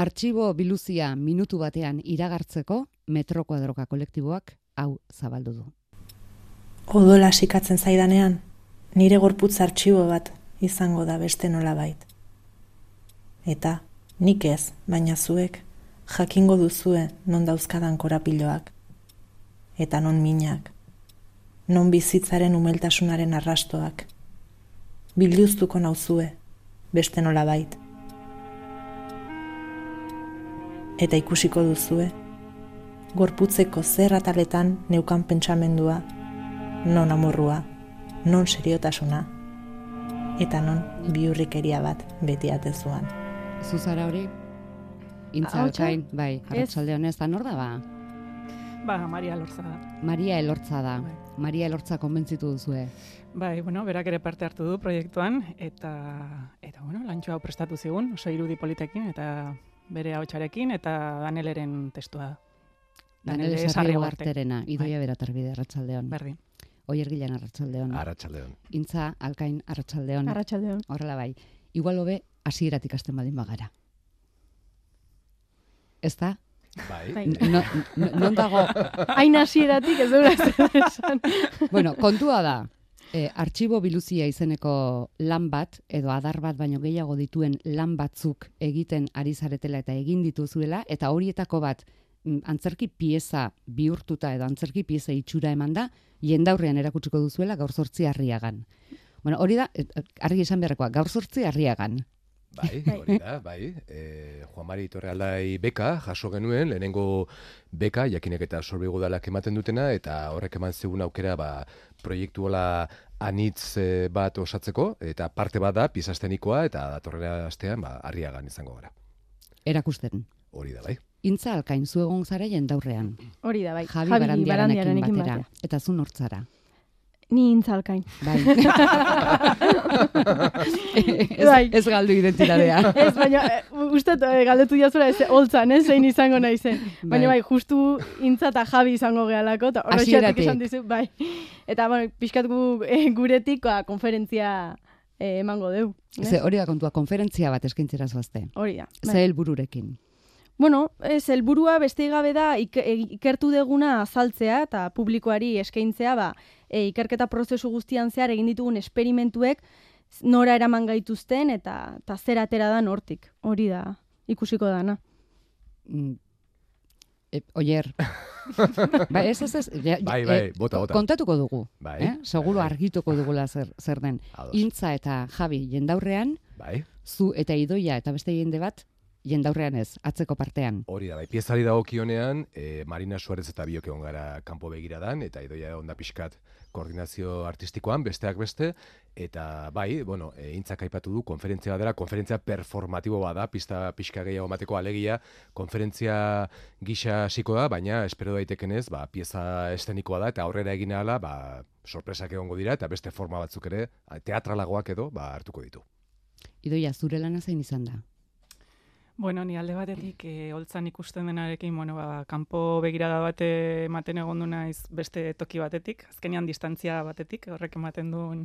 Artxibo biluzia minutu batean iragartzeko Metro Kuadroka kolektiboak hau zabaldu du. Odola sikatzen zaidanean, nire gorputz artxibo bat izango da beste nolabait. Eta nik ez, baina zuek jakingo duzue non dauzkadan korapiloak, eta non minak, non bizitzaren umeltasunaren arrastoak. Bilduztuko nauzue beste nolabait. Eta ikusiko duzue, gorputzeko zer ataletan neukan pentsamendua, non amorrua, non seriotasuna, eta non bihurrikeria bat beti atezuan. Zuzara hori? Intza alkain, bai, arratsalde honez, da nor da ba? Maria Elortza da. Maria Elortza da. Bai. Maria Elortza konbentzitu duzue. Bai, berak ere parte hartu du proiektuan, eta lantxo hau prestatu zigun, oso irudi politekin, eta bere ahotsarekin, eta Daneleren testua da. Danele Sarri Ugarterena, Idoia Beratarbide, arratsaldeon. Berdin. Oier Gilan, arratsaldeon. Arratsaldeon. Intza alkain, arratsaldeon. Arratsaldeon. Horrela bai. Igual hobe hasieratik hasten badin bagara. Ez da? Bai. Non dago? Hain hasieratik ez dura esan. Bueno, kontua da. Artxibo biluzia izeneko lan bat, edo adar bat baino gehiago dituen lan batzuk egiten ari zaretela eta egin dituzuela, eta horietako bat antzerki pieza bihurtuta edo antzerki pieza itxura eman da, jendaurrean erakutsiko duzuela gaur 8 Arriagan. Bueno, hori da, argi esan beharrekoa, gaur 8 Arriagan. Bai, hori da, bai. Juan Mari Torrealdai beka jaso genuen, lehenengo beka, jakinek eta Sorbigo Udalak ematen dutena, eta horrek eman zegoen aukera proiektu hola anitz bat osatzeko, eta parte bat da, pieza eszenikoa, eta datorrela astean, Arriagan izango gara. Erakusten. Hori da, bai. Intza alkain zu egon zara jendaurrean. Hori da, bai. Javi Barandiaranekin batera. Eta zu nortzara. Ni Intza alkain. Bai. Ez galdu identitatea. Ez, baina uste galdetu diazura ez holtzan, zein izango naizen. Baina bai, justu Intza eta Javi izango gehalako, eta horrexiatik esan dizu, bai. Eta pixkat guretik konferentzia emango deu. Hori da kontua, konferentzia bat eskaintzera zoazte. Hori da. Ze helbururekin. Bueno, helburua beste gabe da ikertu deguna azaltzea eta publikoari eskaintzea, ikerketa prozesu guztian zehar egin ditugun esperimentuek nora eraman gaituzten eta zer atera da hortik. Hori da, ikusiko dana. Oier. Ez. Bai, bota. Kontatuko dugu. Bai. Seguro argituko dugula zer den. Intza eta Javi jendaurrean, bai. Zu eta Idoia eta beste jende bat, jendaurrean ez, atzeko partean. Hori da, bai, piezari dagokionean, Marina Suarez eta biok egon gara kanpo begiradan, eta Idoia onda pixkat koordinazio artistikoan, besteak beste, eta bai, Intzak aipatu du, konferentzia dela, konferentzia performatibo bada, pixka gehiago emateko alegia, konferentzia gisa hasiko da, baina espero daitekenez, pieza eszenikoa da, eta aurrera egin ahala, sorpresak egongo dira, eta beste forma batzuk ere, teatralagoak edo, hartuko ditu. Idoia, zure lana zein izan da? Bueno, ni alde batetik holtzan ikusten denarekin, kanpo begirada bat ematen egon du naiz beste toki batetik, azkenean distantzia batetik, horrek ematen duen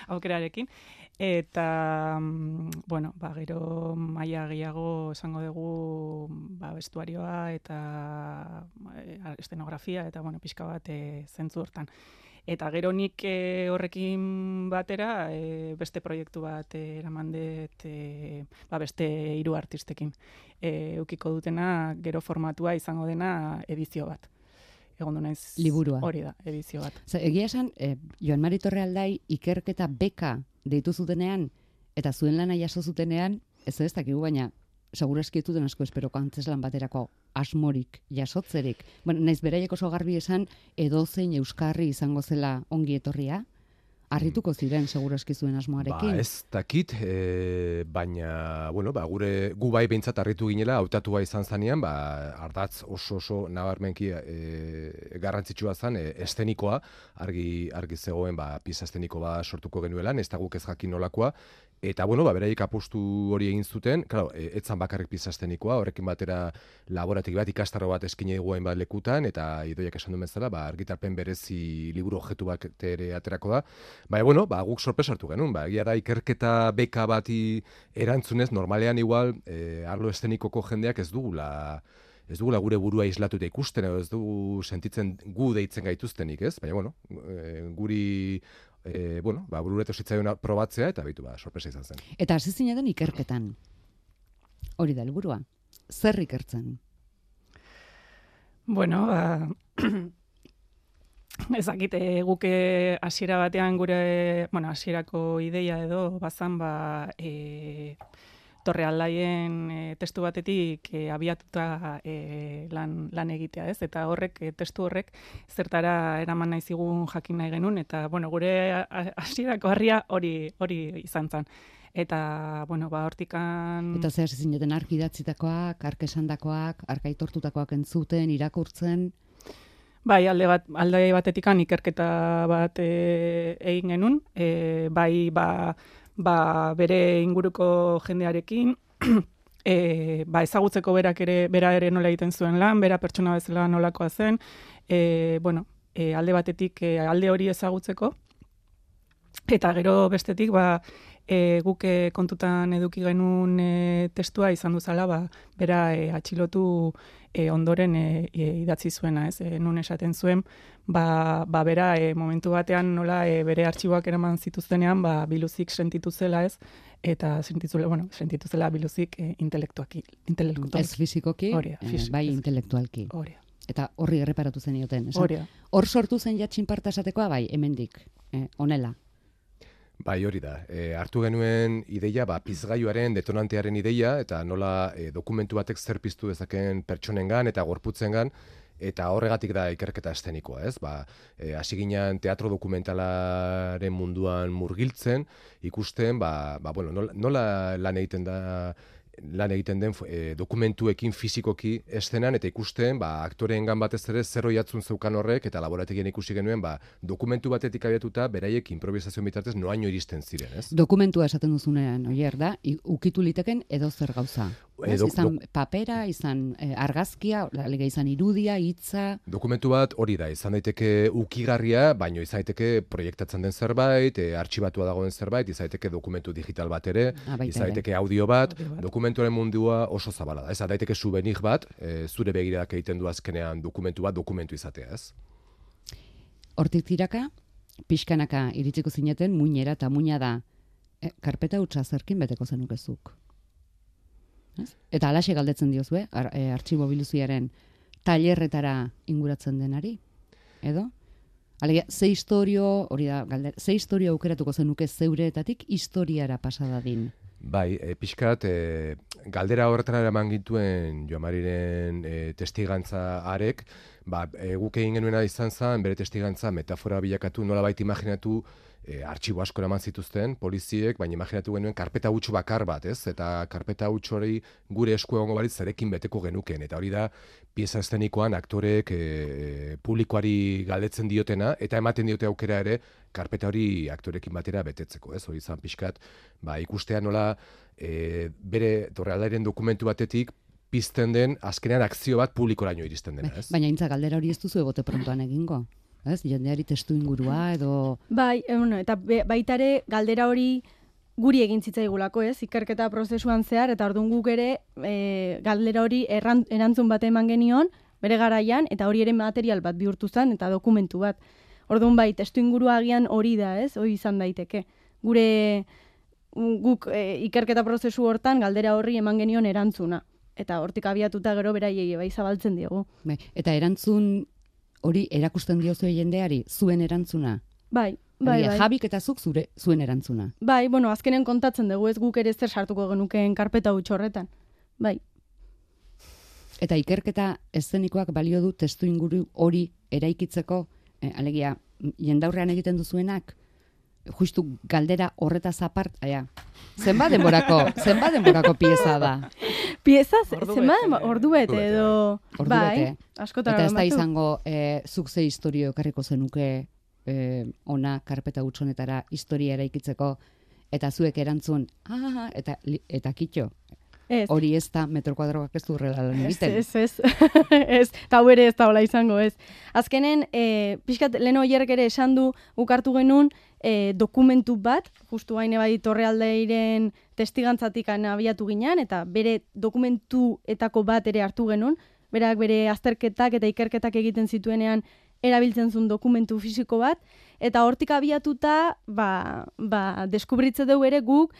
aukerarekin. Eta, gero maila gehiago esango dugu vestuarioa eta eszenografia eta, pixka bat zentzu hortan. Eta gero nik horrekin batera beste proiektu bat eraman dut beste 3 artistekin. Eukiko dutena gero formatua izango dena edizio bat. Egon du naiz liburua. Hori da, edizio bat. Egia esan, Joan Mari Torrealdai ikerketa beka deitu zutenean eta zuen lana jaso zutenean, ez dakigu, baina seguru eskietu den asko esperoko antzeslan baterako asmorik, jasotzerik. Naiz beraiek oso garbi esan, edozein euskarri izango zela ongi etorria, harrituko ziren seguru eskizuen asmoarekin. Ez dakit, baina, gu bai behintzat harritu ginela, hautatua izan zanean, ardatz oso nabarmenki garrantzitsua zen, eszenikoa, argi zegoen, pieza eszeniko sortuko genuelan, ez da guk ez jakin nolakoa, Eta, bueno, beraik apostu hori egin zuten, claro, etzan bakarrik pizastenikoa, horrekin batera laboratik bat, ikastarro bat eskine dugu hainbat lekutan, eta Idoiak esan duen bezala, argitalpen berezi liburu objektu bat ere aterako da. Bueno, guk sorpresa hartu genuen, egia da ikerketa beka bati erantzunez, normalean igual, arlo estenikoko jendeak ez dugula gure burua islatuta ikusten, edo ez dugu sentitzen gu deitzen gaituztenik, ez? Baina, bueno, guri bururetu zitzaion probatzea, eta bitu, sorpresa izan zen. Eta hasi zineten ikerketan. Hori da helburua. Zer ikertzen? Bueno, ezakite guke hasiera batean gure, hasierako ideia edo bazan, Torrealdaien testu batetik abiatuta lan egitea, ez? Eta horrek, testu horrek, zertara eraman nahi zigun jakin nahi genuen, eta, gure hasierako harria hori izan zen. Eta, hortikan... Eta zer hasi zineten ark idatzitakoak, ark esandakoak, ark aitortutakoak entzuten, irakurtzen... Bai, alde batetikan ikerketa bat egin genuen, bere inguruko jendearekin, ezagutzeko bera ere nola egiten zuen lan, bera pertsona bezala nolakoa zen, alde batetik alde hori ezagutzeko, eta gero bestetik, guk kontutan eduki genuen testua izan duzala, bera atxilotu ondoren idatzi zuena, ez? Nun esaten zuen, bera momentu batean nola bere artxiboak eraman zituztenean, biluzik sentitu zela, ez? Eta sentitu zela biluzik intelektualki. Ez fizikoki, bai intelektualki. Eta horri erreparatu zenioten, esan? Hor sortu zen jatxinparta esatekoa, bai, hemendik, honela. Bai, hori da. Hartu genuen ideia, pizgailuaren, detonantearen ideia, eta nola dokumentu batek zer piztu dezakeen pertsonengan eta gorputzengan, eta horregatik da ikerketa estenikoa, ez? Hasi ginen teatro dokumentalaren munduan murgiltzen, ikusten, nola lan egiten den dokumentuekin fizikoki estenan, eta ikusten, aktoreengan batez ere zer oiatzun zeukan horrek, eta laborategien ikusi genuen, dokumentu batetik abiatuta, beraiek improvisazio bitartez noaino iristen ziren, ez? Dokumentua esaten duzunean, oier da, ukitu liteken edo zer gauza. Izan papera, izan argazkia, izan irudia, hitza... Dokumentu bat hori da, izan daiteke ukigarria, baino izan daiteke proiektatzen den zerbait, artxibatua dagoen zerbait, izan daiteke dokumentu digital bat ere, izan daiteke audio bat, dokumentuaren mundua oso zabala da. Izan daiteke souvenir bat, zure begiradak egiten du azkenean dokumentu bat, dokumentu izatea, ez? Hortik tiraka, pixkanaka iritsiko zineten, muinera eta muina da, karpeta hutsa zerkin beteko zenukezuk. Eta alaxe galdetzen diozue, artxibo biluziaren tailerretara inguratzen denari, edo? Alegia, ze historio aukeratuko zenuke zeureetatik historiara pasadadin? Bai, pixkat, galdera horretara eraman gintuen Joamariren testigantza arek, guk egin genuena izan zen, bere testigantza metafora bilakatu, nolabait imaginatu, artxibo asko eraman zituzten, poliziek, baina imaginatu genuen karpeta huts bakar bat, ez? Eta karpeta huts hori gure esku egongo balitz zarekin beteko genuken. Eta hori da, pieza estenikoan aktorek publikoari galdetzen diotena, eta ematen diote aukera ere, karpeta hori aktorekin batera betetzeko, ez? Hori izan pixkat, ikustea nola bere Torrealdairen dokumentu batetik pizten den, azkenean akzio bat publikoraino iristen dena, ez? Baina intza galdera hori ez duzu egote prontoan egingo? Ez, jendeari testu ingurua edo... Bai, eta baitare galdera hori guri egin zitzaigulako, ez? Ikerketa prozesuan zehar, eta orduan guk ere galdera hori erantzun bat eman genion, bere garaian, eta hori ere material bat bihurtu zen, eta dokumentu bat. Orduan bai, testu ingurua agian hori da, ez? Hori izan daiteke. Guk ikerketa prozesu hortan galdera horri eman genion erantzuna. Eta hortik abiatuta gero beraiei bai zabaltzen diogu. Eta erantzun... Hori erakusten diozue jendeari, zuen erantzuna? Bai. Jabik eta zuk zuen erantzuna? Bai, azkenen kontatzen dugu, ez guk ere zer sartuko genukeen karpeta huts horretan. Bai. Eta ikerketa eszenikoak balio du testu inguru hori eraikitzeko, alegia, jendaurrean egiten duzuenak, justu galdera horretaz apart, zenbat denborako pieza da? Pieza, ordubete edo... Bai, askotara eta ez da izango, zuk ze historio ekarriko zenuke ona karpeta huts honetara historia eraikitzeko, eta zuek erantzun, eta kitxo. Ez. Hori ez da metro kuadroak ez du horrela lan egiten. Ez. Ez, eta hau ere ez da hola izango, ez. Azkenen, pixkat, lehen oierrek ere esan du, ukartu genuen, dokumentu bat, justu haine bai Torrealdeiren testigantzatik abiatu ginean, eta bere dokumentuetako bat ere hartu genuen, berak bere azterketak eta ikerketak egiten zituenean erabiltzen zuen dokumentu fisiko bat, eta hortik abiatuta, deskubritze dugu ere guk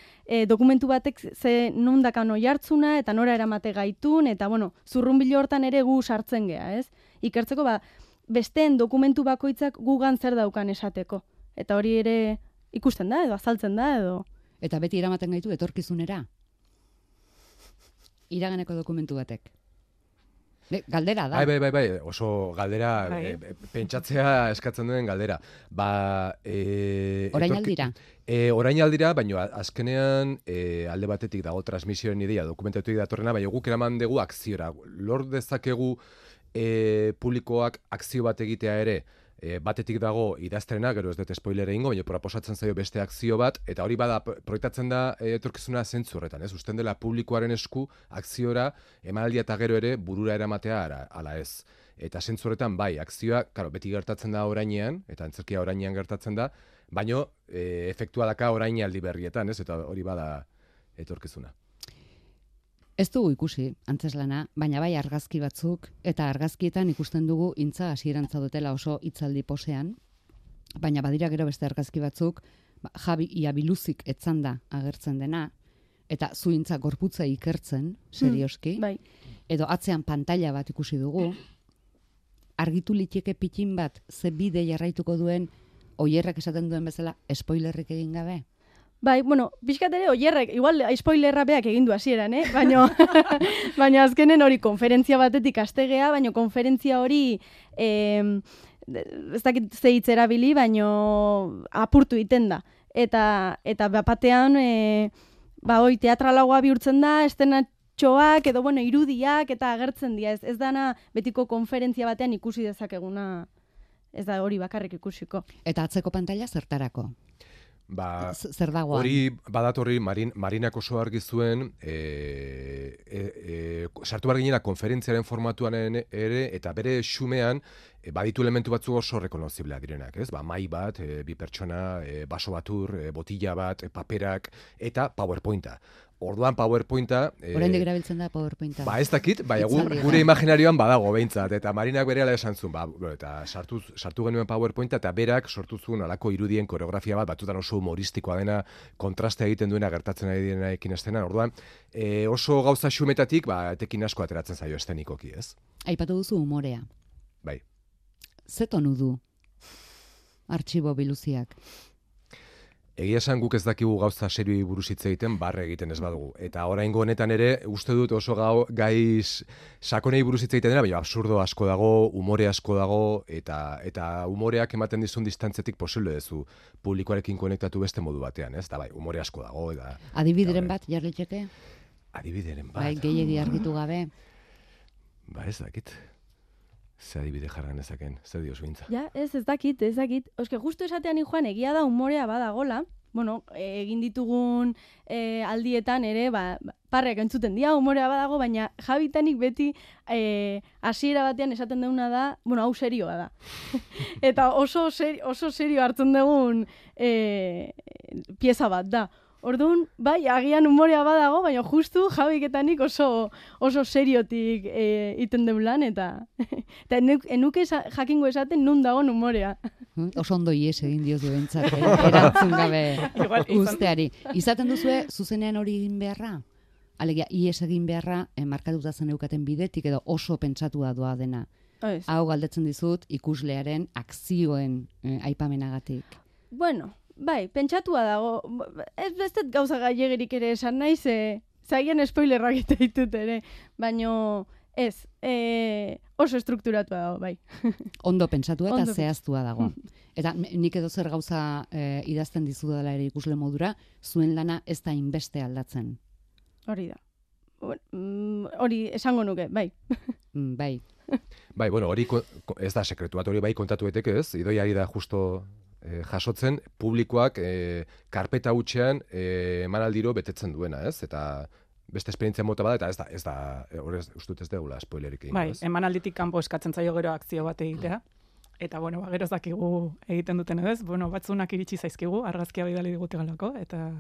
dokumentu batek ze nundakan oi hartzuna, eta nora eramate gaitun, eta zurrunbilo hortan ere gu sartzen gea, ez? Ikertzeko, besteen dokumentu bakoitzak gugan zer daukan esateko. Eta hori ere ikusten da, edo azaltzen da, edo... Eta beti eramaten gaitu etorkizunera. Iraganeko dokumentu batek. Galdera da. Bai, oso galdera, pentsatzea eskatzen duen galdera. Orain aldira? Orain aldira, baina azkenean alde batetik dago transmisioen ideia dokumentatuik datorrena, baina guk eraman dugu akziora. Lor dezakegu publikoak akzio bat egitea ere, batetik dago idazterena, gero ez dut spoiler egingo, baina proposatzen zaio beste akzio bat, eta hori bada proiektatzen da etorkizuna zentzu horretan, ez? Usten dela publikoaren esku akziora emanaldia eta gero ere burura eramatea ala ez. Eta zentzu horretan bai, akzioa, claro, beti gertatzen da orainean, eta antzerkia orainean gertatzen da, baino efektua daka orainaldi berrietan, ez? Eta hori bada etorkizuna. Ez dugu ikusi, antzeslana, baina bai argazki batzuk, eta argazkietan ikusten dugu intza hasierantza dutela oso hitzaldi posean, baina badira gero beste argazki batzuk, Javi Iabiluzik etzanda agertzen dena, eta zuintza gorputza ikertzen, serioski, edo atzean pantalla bat ikusi dugu, argitu liteke pitin bat, ze bide jarraituko duen, oierrak esaten duen bezala, spoilerrik egin gabe? Bai, pixkat ere, oierrek, igual spoilerra beak egin du hasieran, baina azkenen hori konferentzia batetik astegea, baina konferentzia hori ez dakit ze hitz erabili, baina apurtu egiten da. Eta batean, teatralagoa bihurtzen da, estenatxoak, edo irudiak, eta agertzen dira. Ez dana betiko konferentzia batean ikusi dezakeguna, ez da hori bakarrik ikusiko. Eta atzeko pantalla zertarako? Zer dagoan? Hori badatorri Marinak oso argi zuen sartu behar ginena konferentziaren formatuan ere eta bere xumean baditu elementu batzu oso rekonoziblea direnak, ez? Mai bat, bi pertsona, baso batur, botila bat, paperak eta PowerPointa. Orduan PowerPointa... Oraindik erabiltzen da PowerPointa. Ez dakit, gure imaginarioan badago behintzat, eta Marinak berehala esan zuen, eta sartu genuen PowerPointa, eta berak sortu zuen alako irudien koreografia bat, batzutan oso humoristikoa dena, kontrastea egiten duena gertatzen ari denaekin estenan. Orduan, oso gauza xumetatik, etekin asko ateratzen zaio estenikoki, ez? Aipatu duzu umorea. Bai. Ze tonu du Artxibo Biluziak? Egia esan guk ez dakigu gauza serioi buruz hitz egiten, barre egiten ez badugu. Eta oraingo honetan ere, uste dut oso gai sakonei buruz hitz egiten dena, baina absurdo asko dago, umore asko dago, eta umoreak ematen dizun distantzetik posible duzu publikoarekin konektatu beste modu batean, ez? Eta bai, umore asko dago. Adibideren bat, jarlitzeke? Adibideren bat. Bai, gehiegi argitu gabe. Ez dakit. Ze adibide jarran ezaken, zer diozu bintza? Ja, ez dakit. Oske, justu esatean joan egia da umorea badagola, egin ditugun aldietan ere, parreak entzuten dira, umorea badago, baina Javitanik beti hasiera batean esaten duguna da, hau serioa da. Eta oso serio hartzen dugun pieza bat da. Orduan, bai, agian umorea badago, baina justu Javiketanik oso seriotik iten den lan, eta enuke jakingo esaten nun dagoen umorea. Oso ondo ies egin diozu bentsat, erantzun gabe usteari. Izaten duzue, zuzenean hori egin beharra? Alegia, ies egin beharra, markatuta zen eukaten bidetik, edo oso pentsatua doa dena. Hau galdetzen dizut, ikuslearen akzioen aipamenagatik. Bueno, bai, pentsatua dago. Ez bestet gauza gailegerik ere esan nahi, zaien spoilerrak eta ditut ere. Baina ez, oso estrukturatua dago, bai. Ondo pentsatua eta zehaztua dago. Eta nik edo zer gauza idazten dizudala ere ikusle modura, zuen lana ez da inbeste aldatzen. Hori da. Hori esango nuke, bai. Bai. Bai, hori ez da sekretu bat, hori bai kontatu eteke ez, idoiari da justo jasotzen publikoak karpeta hutsean emanaldiro betetzen duena, ez? Eta beste esperientzia mota bada, eta ez da, horrez, ustut ez degula spoilerik egin. Bai, emanalditik kanpo eskatzen zaio gero akzio bat egitea. Eta, bueno, gero zakigu egiten duten edo ez, batzunak iritsi zaizkigu, argazkia bidali digute galako, eta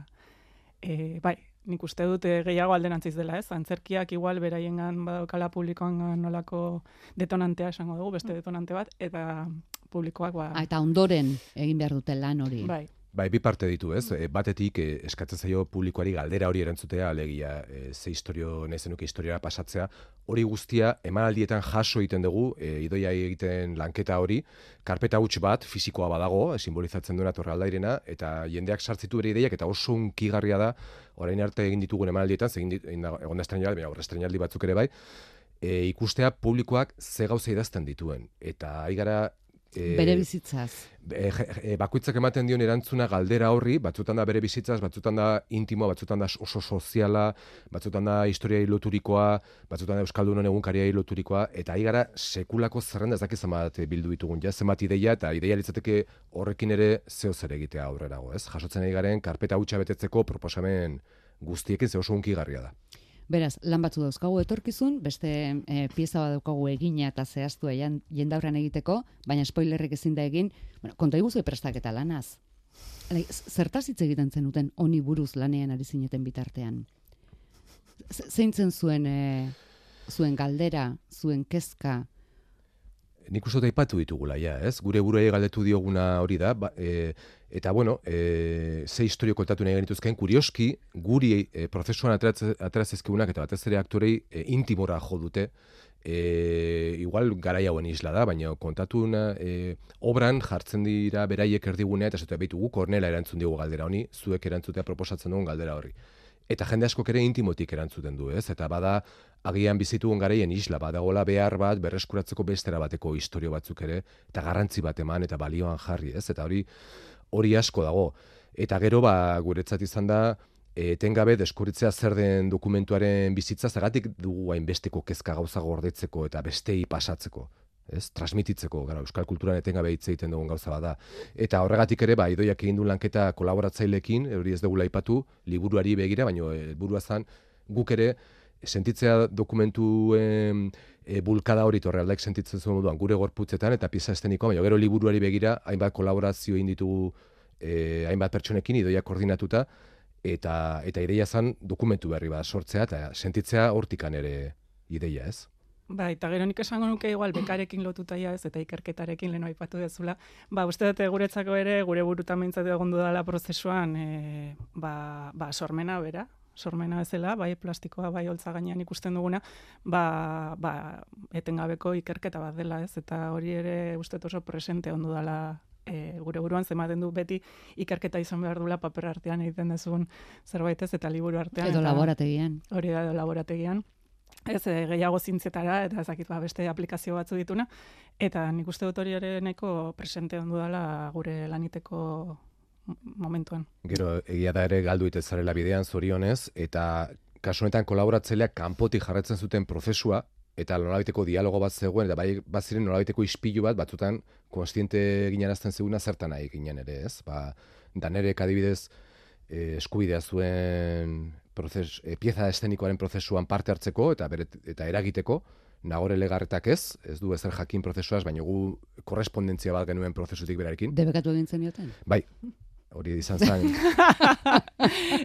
bai, nik uste dut gehiago alderantziz dela, ez? Antzerkiak igual beraiengan badokala publikoan nolako detonantea esango dugu, beste detonante bat, eta publikoak eta ondoren egin behar dute lan hori. Bai, bi parte ditu, ez? Batetik eskatzen zaio publikoari galdera hori erantzutea, alegia ze historio nahi zenuke historiara pasatzea, hori guztia emanaldietan jaso egiten dugu, idoia egiten lanketa hori, karpeta huts bat fisikoa badago, simbolizatzen duena torraldairena, eta jendeak sartzitu bere ideiak, eta oso unkigarria da, orain arte egin ditugun emanaldietan, egon da estreinaldi batzuk ere bai, ikustea publikoak ze gauza idazten dituen. Eta aigara bere bizitzaz. Bakoitzak ematen dion erantzuna galdera horri, batzutan da bere bizitzaz, batzutan da intimoa, batzutan da oso soziala, batzutan da historiai loturikoa, batzutan da Euskaldunon egunkariai loturikoa, eta aigara sekulako zerrenda ez dakiz zenbat bildu ditugun, zenbat ideia, eta ideia litzateke horrekin ere zeo zer egitea aurrerago, ez? Jasotzen aigaren karpeta hutsa betetzeko proposamen guztiekin ze oso hunkigarria da. Beraz, lan batzu dauzkagu etorkizun, beste pieza bat daukagu egina eta zehaztua jendaurran egiteko, baina spoilerrek ezin da egin, konta iguzu prestaketa lanaz. Zertaz hitz egiten zenuten honi buruz lanean ari zineten bitartean? Zeintzen zuen galdera, zuen kezka? Nik uste aipatu ditugula, ez? Gure buruei galdetu dioguna hori da, eta bueno, ze historio kontatu nahi genituzken, kurioski, guri prozesuan ateraz ezkigunak, eta batez ere aktorei intimora jo dute, igual garai hauen isla da, baina kontatu obran jartzen dira beraiek erdigunea, eta zute behitu guk Kornela erantzun diogu galdera honi, zuek erantzutea proposatzen dugun galdera horri. Eta jende askok ere intimotik erantzuten du, ez? Eta bada, agian bizitugun garaien isla, badagola behar bat, berreskuratzeko bestera bateko historio batzuk ere, eta garrantzi bat eman, eta balioan jarri, ez? Eta hori asko dago. Eta gero, guretzat izan da, etengabe deskubritzea zer den dokumentuaren bizitza, zagatik dugu hainbesteko kezka gauza gordetzeko eta bestei pasatzeko. Ez, transmititzeko, gara, euskal kulturan etengabe hitz egiten dugun gauza bada. Eta horregatik ere, idoiak egin du lanketa kolaboratzaileekin, hori ez dugula aipatu, liburuari begira, baina helburua zen guk ere sentitzea dokumentuen bulkada hori torrealdaik sentitzen zuen moduan gure gorputzetan eta pieza estenikoa, baina gero liburuari begira, hainbat kolaborazio egin ditugu hainbat pertsonekin, idoiak koordinatuta, eta ideia zen dokumentu berri bat sortzea, eta sentitzea hortikan ere ideia, ez? Eta gero nik esango nuke igual bekarekin lotuta ez, eta ikerketarekin leno aipatu dezula. Uste dute guretzako ere, gure burutan behintzatu egondu dela prozesuan, sormena bera, sormena bezala, bai plastikoa, bai holtza gainean ikusten duguna, etengabeko ikerketa bat dela, ez? Eta hori ere uste oso presente ondu dela gure buruan, zematen du beti ikerketa izan behar dula paper artean egiten dezun zerbait ez, eta liburu artean. Edo laborategian. Hori da, edo laborategian. Ez, gehiago zintzetara, eta ezakit beste aplikazio batzu dituna, eta nik uste dut hori ere nahiko presente ondu dela gure laniteko momentuan. Gero, egia da ere galdu itezarela bidean zorionez, eta kasu honetan kolaboratzaileak kanpotik jarraitzen zuten prozesua, eta nolabaiteko dialogo bat zegoen, eta bai baziren nolabaiteko ispilu bat, batzutan konstiente ginarazten zeguna zertan nahi ginen ere, ez? Danerek adibidez eskubidea zuen pieza estenikoaren prozesuan parte hartzeko eta eragiteko, Nagore Legarretak ez du ezer jakin prozesuaz, baina gu korrespondentzia bat genuen prozesutik berarekin. Debekatu egin zenioten? Bai, hori izan zen.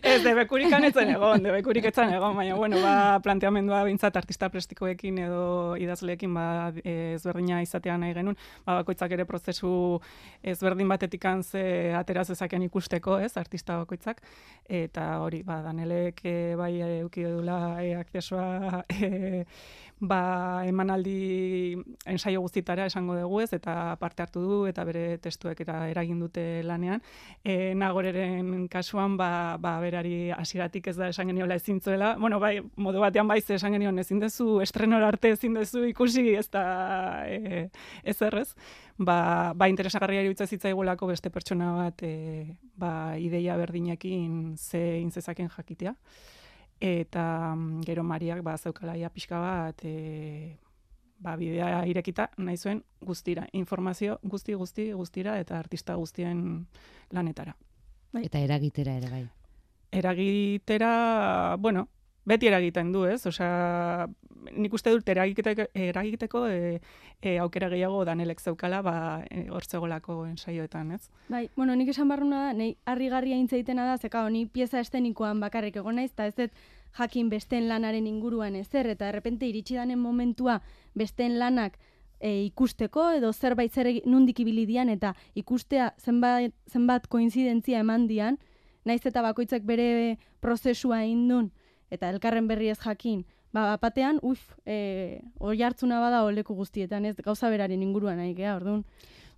Ez, debekurik etzen egon, baina, bueno, planteamendua bintzat artista plastikoekin edo idazleekin ezberdina izatea nahi genuen, bakoitzak ere prozesu ezberdin batetik ze ateraz ezaken ikusteko, ez, artista bakoitzak, eta hori, Danelek bai euki edula akzesoa emanaldi ensaio guztitara esango dugu ez, eta parte hartu du, eta bere testuek eta eragin dute lanean. Nagoreren kasuan, berari hasieratik ez da esan geniola ezin zuela. Bueno, bai, modu batean esan genion ezin dezu, estrenora arte ezin dezu ikusi, ez da ezerrez. Interesagarria iruditzen zitzaigulako beste pertsona bat ideia berdinekin ze intzezaken jakitea. Eta gero Mariak zeukalaia pixka bat bidea irekita nahi zuen guztira, informazio guztira eta artista guztien lanetara. Eta eragitera ere bai. Eragitera, bueno, beti eragiten du, ez? Osea, nik uste dut eragiteko aukera gehiago Danelek zeukala, hortzegolako ensaioetan, ez? Bai, bueno, nik esan barruna da, nahi harrigarria intzaitena da, zeka honi pieza estenikoan bakarrik egon naiz, eta ez dut jakin besteen lanaren inguruan ezer, eta errepente iritsi danen momentua besteen lanak ikusteko, edo zerbait nundik ibili dian, eta ikustea zenbat koinzidentzia eman dian, naiz eta bakoitzak bere prozesua indun, eta elkarren berri ez jakin, batean, oi hartzuna bada oleku guztietan, ez gauza beraren inguruan nahi gea, orduan.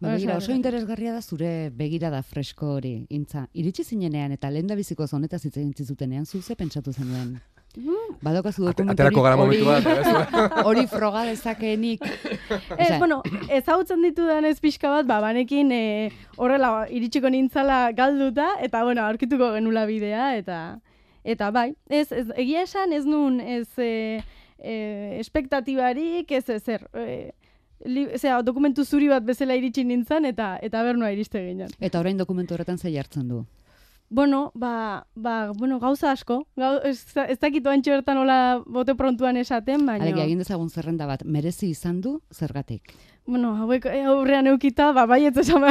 Begira, oso interesgarria da zure begirada fresko hori, Intza. Iritsi zinenean eta lehendabiziko honetaz hitz egin zutenean, zuze pentsatu zenuen. Badokazu dokumentu hori froga dezakeenik. Bueno, ezagutzen ditudan ez pixka bat, banekin horrela iritsiko nintzala galduta, eta bueno, aurkituko genula bidea, eta bai, egia esan ez nun, espektatibarik, ez ezer, dokumentu zuri bat bezala iritsi nintzen, eta bernua iriste ginen. Eta orain dokumentu horretan zei hartzen du? Bueno, gauza asko. Ez dakitu antxo bertan hola bote prontuan esaten, baina... Alegia, egin dezagun zerrenda bat, merezi izan du zergatik? Bueno, hauek aurrean eukita, baietz esan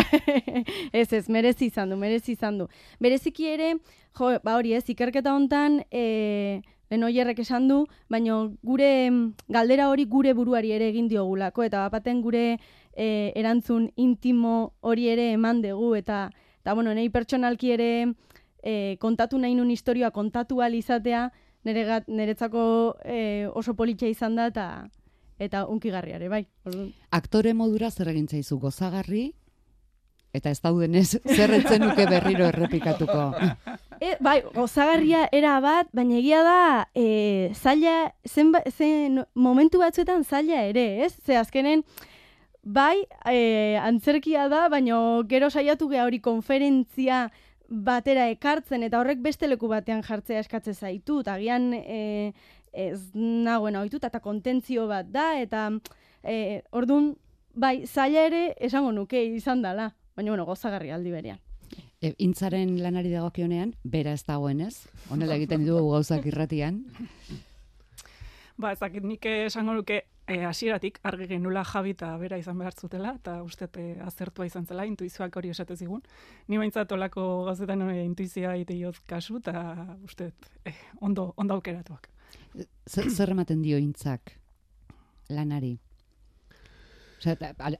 ez, merezi izan du. Bereziki ere, hori ez, ikerketa hontan, lehen oierrek esan du, baina gure galdera hori gure buruari ere egin diogulako, eta bapaten gure erantzun intimo hori ere eman dugu, eta bueno, nahi pertsonalki ere kontatu nahi nun historioa kontatu ahal izatea, niretzako oso politxa izan da, eta unkigarriare, bai. Aktore modura zer egin zaizu gozagarri, eta ez daudenez zerretzen nuke berriro errepikatuko. Bai, gozagarria era bat, baina egia da, zaila, momentu batzuetan zaila ere, ez? Ze azkenen, bai, antzerkia da, baina gero saiatu geha hori konferentzia batera ekartzen, eta horrek beste leku batean jartzea eskatzen zaitu, eta agian ez nagoen ohituta eta kontentzio bat da, eta orduan, bai, zaila ere esango nuke izan dela, baina bueno, gozagarri aldi berean. Intzaren lanari dagokionean, bera ez dagoenez, honela egiten dugu gauzak irratian. Ezakit nik esango nuke hasieratik argi genula Javi eta bera izan behar zutela, eta uste azertua izan zela, intuizioak hori esate zigun. Ni baintzat olako gauzetan intuizioa iteioz kasu, eta uste ondo aukeratuak. Zer ematen dio Intzak lanari? Osea,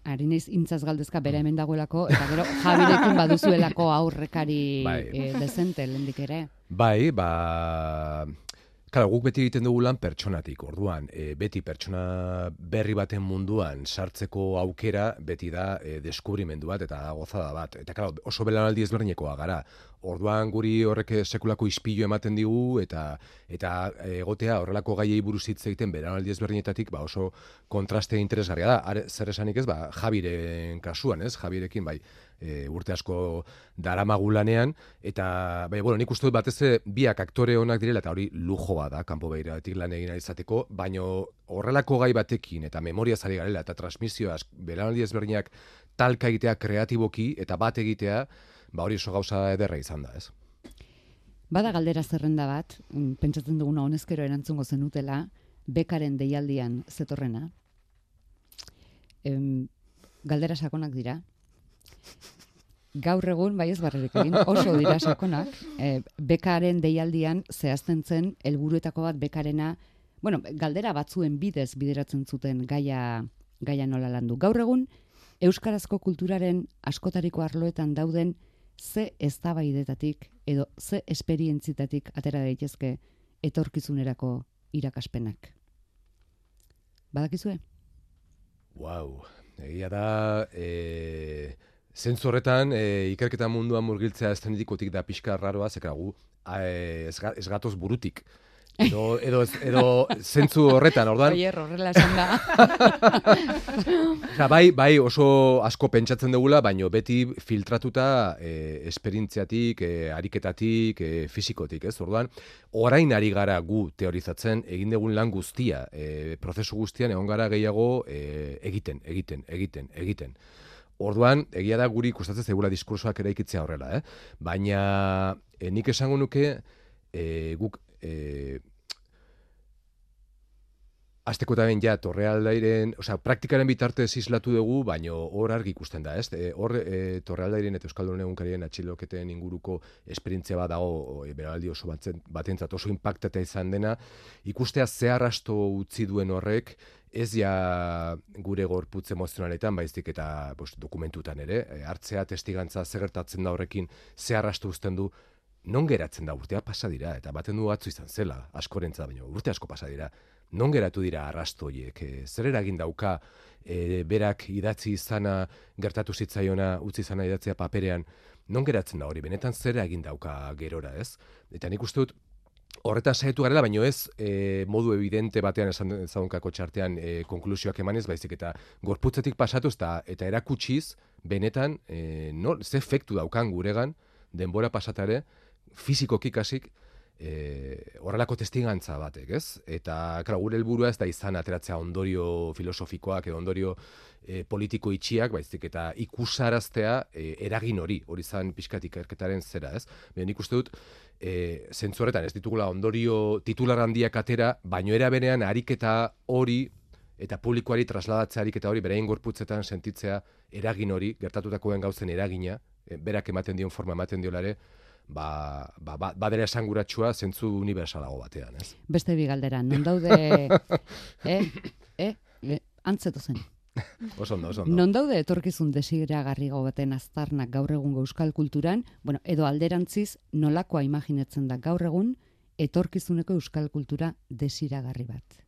ari naiz Intzaz galdezka bera hemen dagoelako, eta gero Javirekin baduzuelako aurrekari dezente lehendik ere. Bai, Claro, guk beti egiten dugu lan pertsonatik, orduan, beti pertsona berri baten munduan sartzeko aukera beti da deskubrimendu bat eta gozada bat. Eta claro, oso belaunaldi ezberdinekoa gara. Orduan guri horrek sekulako ispilu ematen digu eta egotea horrelako gaiei buruz hitz egiten belaunaldi ezberdinetatik oso kontraste interesgarria da. Zer esanik ez, Javiren kasuan, ez? Javirekin bai urte asko daramagu lanean, eta nik uste dut batez biak aktore onak direla, eta hori lujo da, kanpo behiratik lan egin izateko, baina horrelako gai batekin, eta memoria zari garela, eta transmisioa, belaunaldi ezberdinak talka egitea kreatiboki, eta bat egitea, hori oso gauza ederra izan da, ez? Bada galdera zerrenda bat, pentsatzen duguna honezkero erantzungo zenutela, bekaren deialdian zetorrena. Galdera sakonak dira. Gaur egun, bai ez barrerik egin, oso dira sakonak, bekaren deialdian zehazten zen helburuetako bat bekarena, galdera batzuen bidez bideratzen zuten gaia nola landu. Gaur egun, euskarazko kulturaren askotariko arloetan dauden ze eztabaidetatik edo ze esperientzitatik atera daitezke etorkizunerako irakaspenak. Badakizue? Egia da... Zentzu horretan, ikerketa munduan murgiltzea estenetikotik da pixka raroa, zekera gu ez gatoz burutik Edo zentzu horretan, orduan. Oier, horrela esan da. Bai, oso asko pentsatzen dugula, baino beti filtratuta esperientziatik, ariketatik, fisikotik, ez? Orduan, orain ari gara gu teorizatzen, egin dugun lan guztia, prozesu guztian egon gara gehiago egiten. Orduan, egia da guri ikustatzen zegula diskursoak eraikitzea horrela, Baina nik esango nuke guk azteko eta ben ja, Torrealdairen, praktikaren bitartez islatu dugu, baino hor argi ikusten da, ez? Hor Torrealdairen eta Euskaldunen egunkarien atxiloketen inguruko esperientzia bat dago, beraldi oso batentzat oso impactata izan dena, ikustea ze arrasto utzi duen horrek, ez ja gure gorputz emozionaletan, baizik eta dokumentutan ere, hartzea testigantza zer gertatzen da horrekin, ze arrasto uzten du, non geratzen da, urtea pasa dira, eta baten du atzu izan zela, askorentzat, baina urte asko pasa dira, non geratu dira arrasto horiek, zer eragin dauka berak idatzi izana, gertatu zitzaiona, utzi izana idatzia paperean, non geratzen da hori, benetan zer eragin dauka gerora, ez? Eta nik uste dut, horretan saiatu garela, baino ez modu evidente batean esan zaunkako txartean konklusioak emanez, baizik eta gorputzetik pasatuz eta erakutsiz, benetan, ze efektu daukan guregan, denbora pasatare, fizikoki kasik, horrelako testigantza batek, ez? Eta, gure helburua ez da izan ateratzea ondorio filosofikoak edo ondorio politiko itxiak, baizik eta ikusaraztea eragin hori zan pixkat ikerketaren zera, ez? Nik uste dut, zentzu horretan ez ditugula ondorio titular handiak atera, baino era berean ariketa hori eta publikoari trasladatzea ariketa hori beraien gorputzetan sentitzea eragin hori, gertatutakoen gauzen eragina, berak ematen dion forma ematen diolare, badera esanguratsua zentzu universalago batean, ez? Beste bi galdera, non daude antzeto zen. Oso ondo. Non daude etorkizun desiragarriago baten aztarnak gaur egungo euskal kulturan, edo alderantziz nolakoa imaginatzen da gaur egun etorkizuneko euskal kultura desiragarri bat.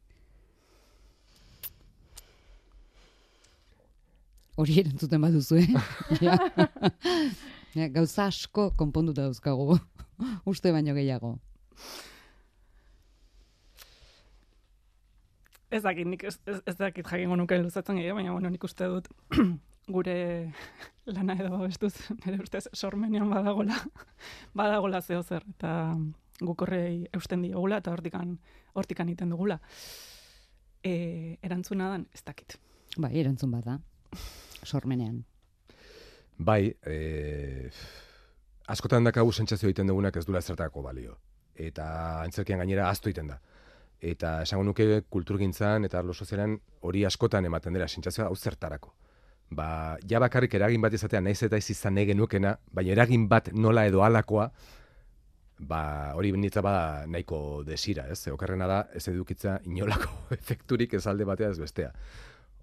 Hori erantzuten baduzu, Ja. Gauza asko konponduta dauzkagu, uste baino gehiago. Ez dakit, nik ez dakit jakingo nuke luzatzen gehiago, baina nik uste dut gure lana edo bestuz, nire ustez sormenean badagola zeo zer, eta guk horrei eusten diogula, eta hortikan iten dugula. Erantzuna dan, ez dakit. Bai, erantzun bada, sormenean. Bai, askotan dakagu sentsazio egiten dugunak ez dula ezertako balio. Eta antzerkian gainera ahaztu egiten da. Eta esango nuke kulturgintzan eta arlo sozialean hori askotan ematen dela sentsazioa hau zertarako. Ja bakarrik eragin bat izatea naiz eta ez izan nahi genukena, baina eragin bat nola edo halakoa, hori benitza bada nahiko desira, ez? Okerrena da ez edukitza inolako efekturik ez alde batea ez bestea.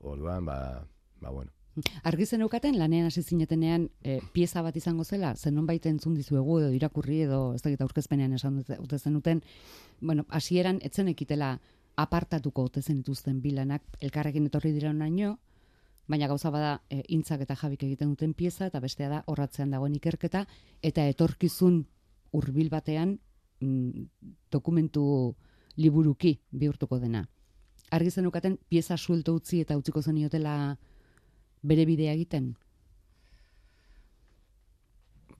Orduan, bueno. Argi zeneukaten lanean hasi zinetenean pieza bat izango zela, zenonbait entzun dizuegu edo irakurri edo ez dakit aurkezpenean esan dute zenuten, hasieran etzen ekitela apartatuko ote zenituzten bilanak elkarrekin etorri dira onaino, baina gauza bada Intzak eta Jabik egiten duten pieza eta bestea da horratzean dagoen ikerketa eta etorkizun hurbil batean dokumentu liburuki bihurtuko dena. Argi zeneukaten pieza suelto utzi eta utziko zeniotela bere bidea egiten?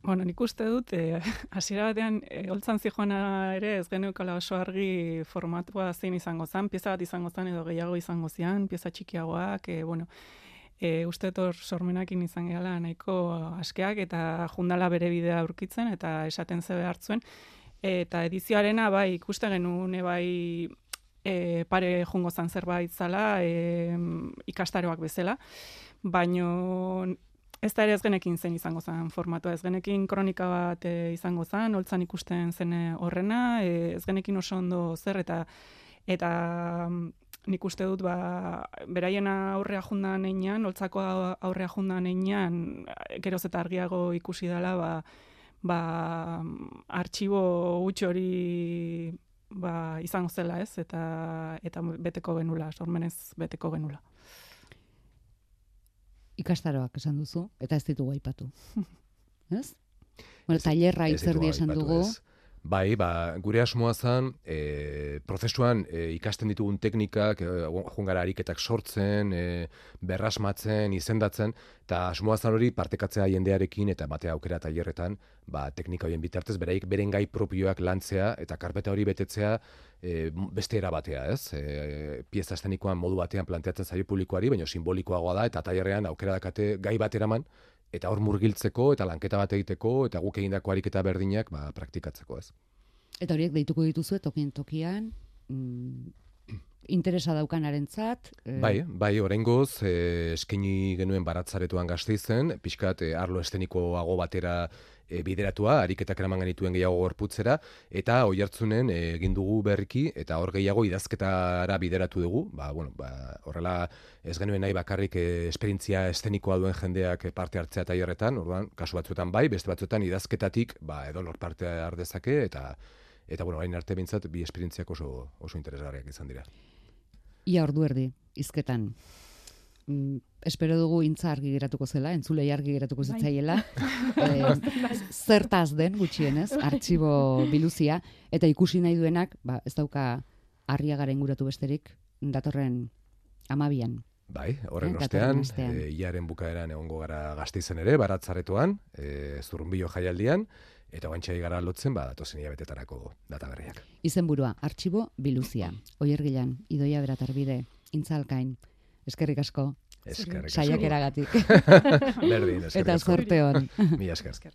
Bueno, nik uste dut, hasiera batean, holtzan zijoana ere ez geneukala oso argi formatua zein izango zen, pieza bat izango zen edo gehiago izango zian, pieza txikiagoak, uste dut sormenakin izan gehala nahiko askeak eta jundala bere bidea aurkitzen eta esaten zebe hartzuen. Eta edizioarena bai ikuste genuen bai pare jungo zan zerbait zala ikastaroak bezala, baino ez da ere ez genekin zen izango zen formatua, ez genekin kronika bat izango zen, holtzan ikusten zen horrena, ez genekin oso ondo zer eta nik uste dut beraien aurrea jundan einean, holtzako aurrea jundan einean, geroz eta argiago ikusi dela, artxibo huts hori izango zela ez, eta beteko genula, sormenez beteko genula. Ikastaroak esan duzu, eta ez ditugu aipatu. Ez? Bueno, tailerra hitzerdi esan dugu. Bai, gure asmoa zen, prozesuan ikasten ditugun teknikak, joan gara ariketak sortzen, berrasmatzen, izendatzen, eta asmoa zen hori partekatzea jendearekin eta batea aukera tailerretan, teknika horien bitartez, beraik beren gai propioak lantzea eta karpeta hori betetzea beste era batea, ez? Pieza estenikoan modu batean planteatzen zaio publikoari, baina simbolikoagoa da, eta tailerrean aukera dakate gai bat eraman, eta hor murgiltzeko, eta lanketa bat egiteko, eta guk egindako ariketa berdinak praktikatzeko, ez. Eta horiek deituko dituzue tokian, interesa daukanarentzat. Bai, oraingoz eskaini genuen Baratzaretoan Gasteizen, pixkat arlo estenikoago batera bideratua, ariketak eraman genituen gehiago gorputzera, eta Oiartzunen egin dugu berriki, eta hor gehiago idazketara bideratu dugu, horrela ez genuen nahi bakarrik esperientzia estenikoa duen jendeak parte hartzea tailerretan, orduan, kasu batzuetan bai, beste batzuetan idazketatik, edonor parte har dezake, eta hain arte bintzat, bi esperientziak oso interesgarriak izan dira. Ia ordu erdi, hizketan. Espero dugu intza argi geratuko zela, entzulei argi geratuko zitzaiela. Zertaz den gutxienez, artxibo biluzia, eta ikusi nahi duenak, ez dauka Arriagara inguratu besterik, datorren 12an. Bai, horren ostean, iaren bukaeran egongo gara Gasteizen ere, Baratzaretoan, Zurrunbilo jaialdian, eta oantxai gara lotzen, datozen hilabetetarako data berriak. Izenburua, artxibo biluzia. Oiergilan, Idoia Beratarbide, Intza Alkain. Eskerrik asko. Eskerrik asko. Saiakeragatik. Berdin, eskerrik asko. Eta zorte hon. Mila esker.